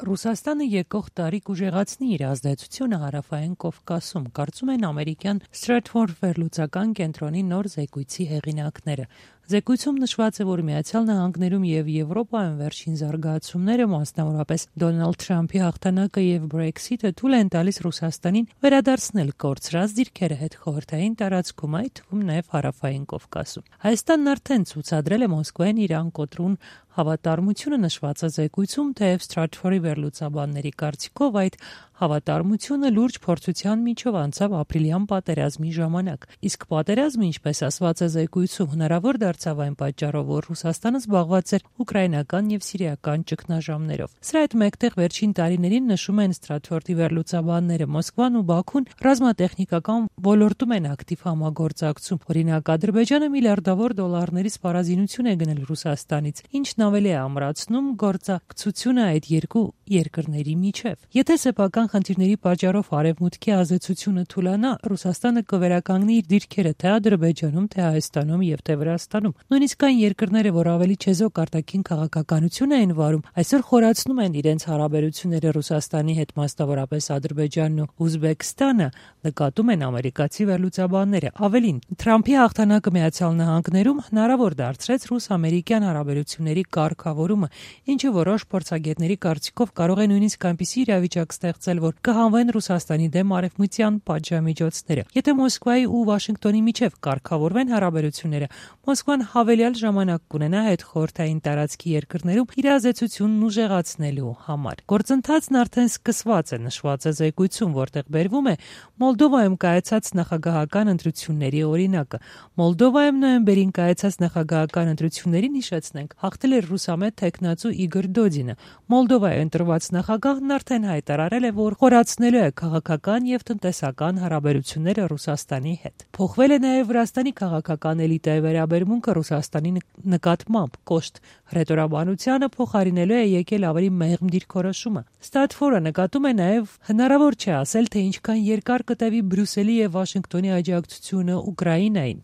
Ռուսաստանը եկող տարի կուժեղացնի իր ազդեցությունը հարավային Կովկասում, կարծում են ամերիկյան Stratfor վերլուծական կենտրոնի նոր զեկույցի հեղինակները։ Զեկույցում նշված է, որ Միացյալ Նահանգներում եւ Եվրոպայում վերջին զարգացումները, մասնավորապես Դոնալդ Թրամփի հաղթանակը եւ Brexit-ը, թույլ են տալիս Ռուսաստանին վերադարձնել կորցրած դիրքերը հետխորհրդային տարածքում, այդ թվում նաեւ հարավային Կովկասում։ Հայաստանն արդեն ցուցադրել է Մոսկվային Իրան կոտրուն հավատարմությունը նշված է զեկույցում, թեև Stratfor-ի վերլուծաբանների կարծիքով այդ հավատարմությունը լուրջ փորձության միջով անցավ ապրիլյան պատերազմի ժամանակ։ Իսկ պատերազմը, ինչպես ասված է զեկույցում, հնարավոր դարձավ այն պատճառով, որ Ռուսաստանը զբաղված էր ուկրաինական եւ սիրիական ճգնաժամերով։ Սրա հետ մեկտեղ վերջին տարիներին, նշում են Stratfor-ի վերլուծաբանները, Մոսկվան ու Բաքուն ռազմատեխնիկական ոլորտում են ակտիվ համագործակցում։ Օրինակ, Ադրբեջանը միլիարդավոր դոլարների սպառազինություն է գնել Ռուսաստանից, ինչն ավելի է ամրացնում գործակցությունը այդ երկու երկրների միջև։ Եթե սեփական խնդիրների պատճառով արևմուտքի ազդեցությունը թուլանա, Ռուսաստանը կվերականգնի իր դիրքերը թե Ադրբեջանում, թե Հայաստանում եւ թե Վրաստանում։ Նույնիսկ այն երկրները, որ ավելի չեզոք արտաքին քաղաքականություն էին վարում, այսօր խորացնում են իրենց հարաբերությունները Ռուսաստանի հետ, մասնավորապես Ադրբեջանն ու Ուզբեկստանը, նկատում են ամերիկացի վերլուծաբանները։ Ավելին, Թրամփի հաղթանակը Միացյալ Նահանգներում հնարավոր դարձրեց ռուս-ամերիկյան հարաբերությունների կարգավորումը, ինչը որոշ փորձագետների կարծիքով կարող է նույնիսկ այնպիսի իրավիճակ ստեղծել, որ կհանվեն Ռուսաստանի դեմ արևմտյան պատժամիջոցները։ Եթե Մոսկվայի ու Վաշինգտոնի միջև կարգավորվեն հարաբերությունները, Մոսկվան հավելյալ ժամանակ կունենա հետխորհրդային տարածքի երկրներում իր ազդեցությունն ուժեղացնելու համար։ Գործընթացն արդեն սկսված է, նշված է զեկույցում, որտեղ բերվում է Մոլդովայում կայացած նախագահական ընտրությունների օրինակը։ Մոլդովայում նոյեմբերին կայացած նախագահական ընտրություններին, հիշեցնենք, հաղթել էր ռուսամետ թեկնածու Իգոր Դոդինը։ Մոլդովայի ընտրված նախագահն արդեն հայտարարել է, որ խորացնելու է քաղաքական եւ տնտեսական հարաբերությունները Ռուսաստանի հետ։ Փոխվել է նաեւ Վրաստանի քաղաքական էլիտայի վերաբերմունքը Ռուսաստանի նկատմամբ, կոշտ հռետորաբանությանը փոխարինելու է եկել ավելի մեղմ դիրքորոշումը։ Stratfor-ը նկատում է նաեւ հնարավոր չէ ասել, թե ինչքան երկար կտևի Բրյուսելի եւ Վաշինգտոնի աջակցությունը Ուկրաինային։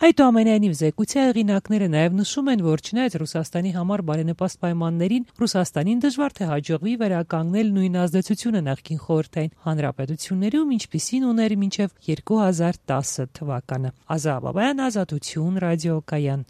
Այդուամենայնիվ, զեկույցի հեղինակները նաեւ նշում են, որ չնայած Ռուսաստանի համար բարենպաստ պայմաններին, Ռուսաստանին դժվար թե հաջողվի վերականգնել նույն ազդեցությունը նախկին խորհրդային հանրապետություններում, ինչպիսին ուներ մինչև 2010 թվականը։ Ազա Բաբայան, Ազատություն, ռադիոկայան։